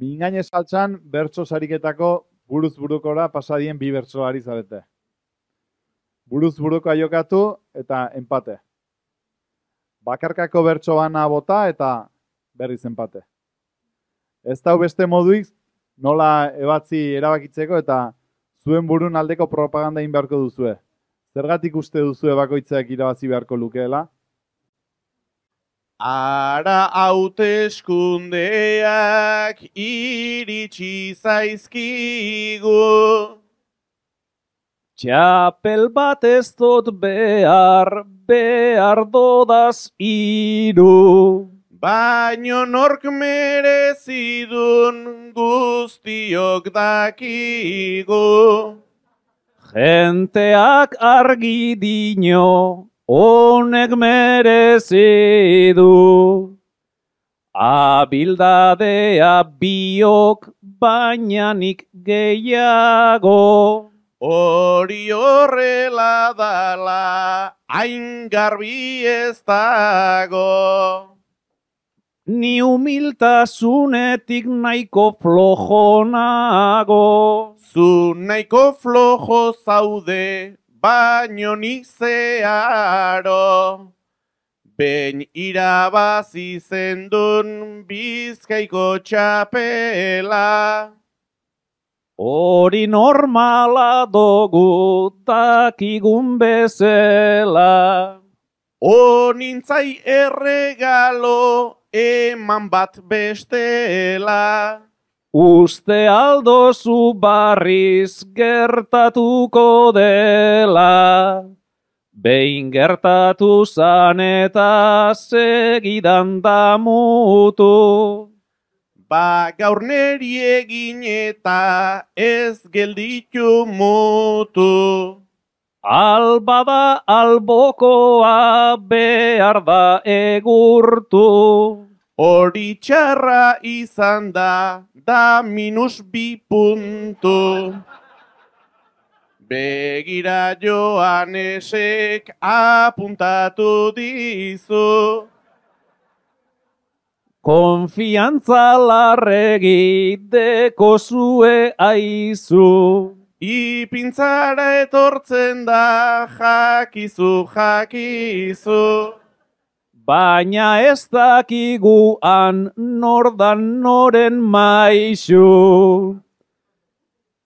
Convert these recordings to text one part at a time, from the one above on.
Mingaine saltsan bertso sariketako buruz burukora pasadien bi bertsolari zarete. Buruz burukoa jokatu eta enpate. Bakarkako bertso bana bota eta berriz enpate. Ez da beste moduik nola ebatzi erabakitzeko eta zuen burun aldeko propaganda egin beharko duzue. Zergatik uste duzue bakoitzak irabazi beharko lukeela? Ara hauteskundeak iritsi zaizkigu. Txapel bat ez dut behar dodaz hiru. Baino nork merezidun guztiok dakigu. Jenteak argi dino, honek merezi du. Abildadea biok, baina nik gehiago. Hori horrela dala, hain garbi ez dago. Ni humiltasunetik nahiko flojo nago. Zu nahiko flojo zaude, baino nik zeharo. Behin irabazi zendun Bizkaiko txapela. Hori normala dugu dakigun bezala. Honintzai erregalo eman bat bestela. Uste aldozu barriz gertatuko dela. Behin gertatu zan eta segidan damutu. Ba gaur neri egin eta ez gelditu mutu. Albada albokoa behar da egurtu. Hori txarra izan da -2 puntu. Begira Joanesek apuntatu dizu. Konfiantza larregi deko zue aizu. Ipintzara etortzen da jakizu. Baina ez dakigu han nordan noren maisu.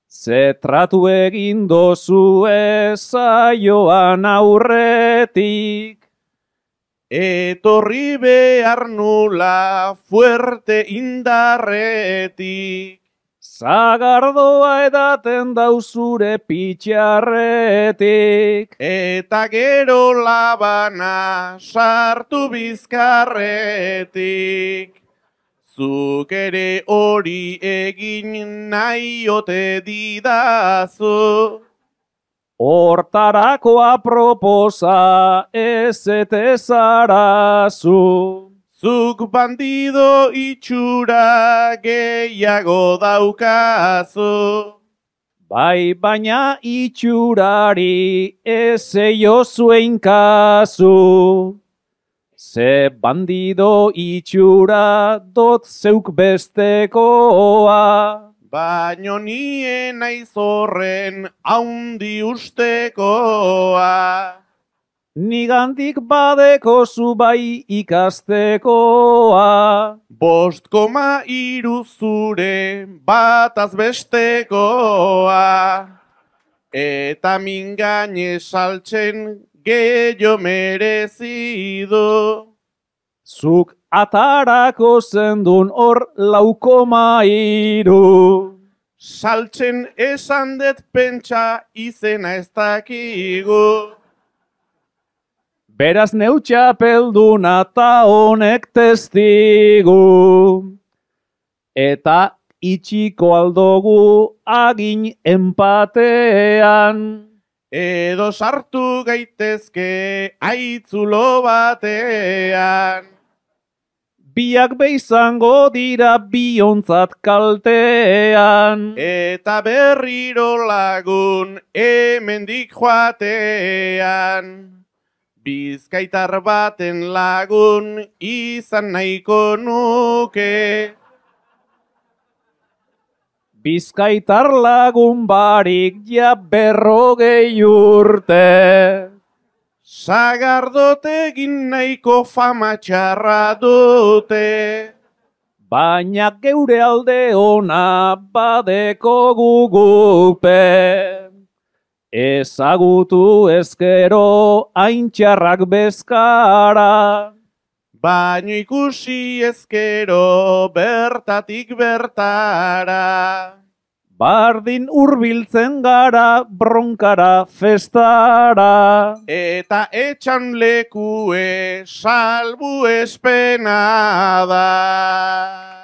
Ze tratu egin dozue saioan aurretik. Etorri behar nula fuerte indarretik. Zagardoa edaten dauzure pitxarretik. Eta gero labana sartu bizkarretik. Zuk ere hori egin nahi ote didazu. Hortarako aproposa ez etezarazu. Zuk bandido itxura gehiago daukazu. Bai, baina itxurari ez eio zuen kasu. Ze bandido itxura dot zeuk bestekoa. Baino nien naiz horren haundi ustekoa. Nigandik badeko zu bai ikastekoa. 5,3 zure bataz bestekoa. Eta mingaine saltzen gehiago merezidu. Zuk atarako zendun hor 4,3. Saltzen esan dut pentsa izena ez dakigu. Beraz neutxapelduna ta honek testigu. Eta itxiko aldogu agin enpatean. Edo sartu gaitezke aitzulo batean. Biak beizango dira biontzat kaltean. Eta berriro lagun hemendik joatean. Bizkaitar baten lagun izan nahiko nuke. Bizkaitar lagun barik ja 40 urte. Sagardotegin nahiko fama txarra dute. Baina geure alde ona badeko gugupe. Ezagutu ezkero haintxarrak bezkara. Baino ikusi ezkero bertatik bertara. Bardin hurbiltzen gara bronkara festara. Eta etxan lekue salbu espena da.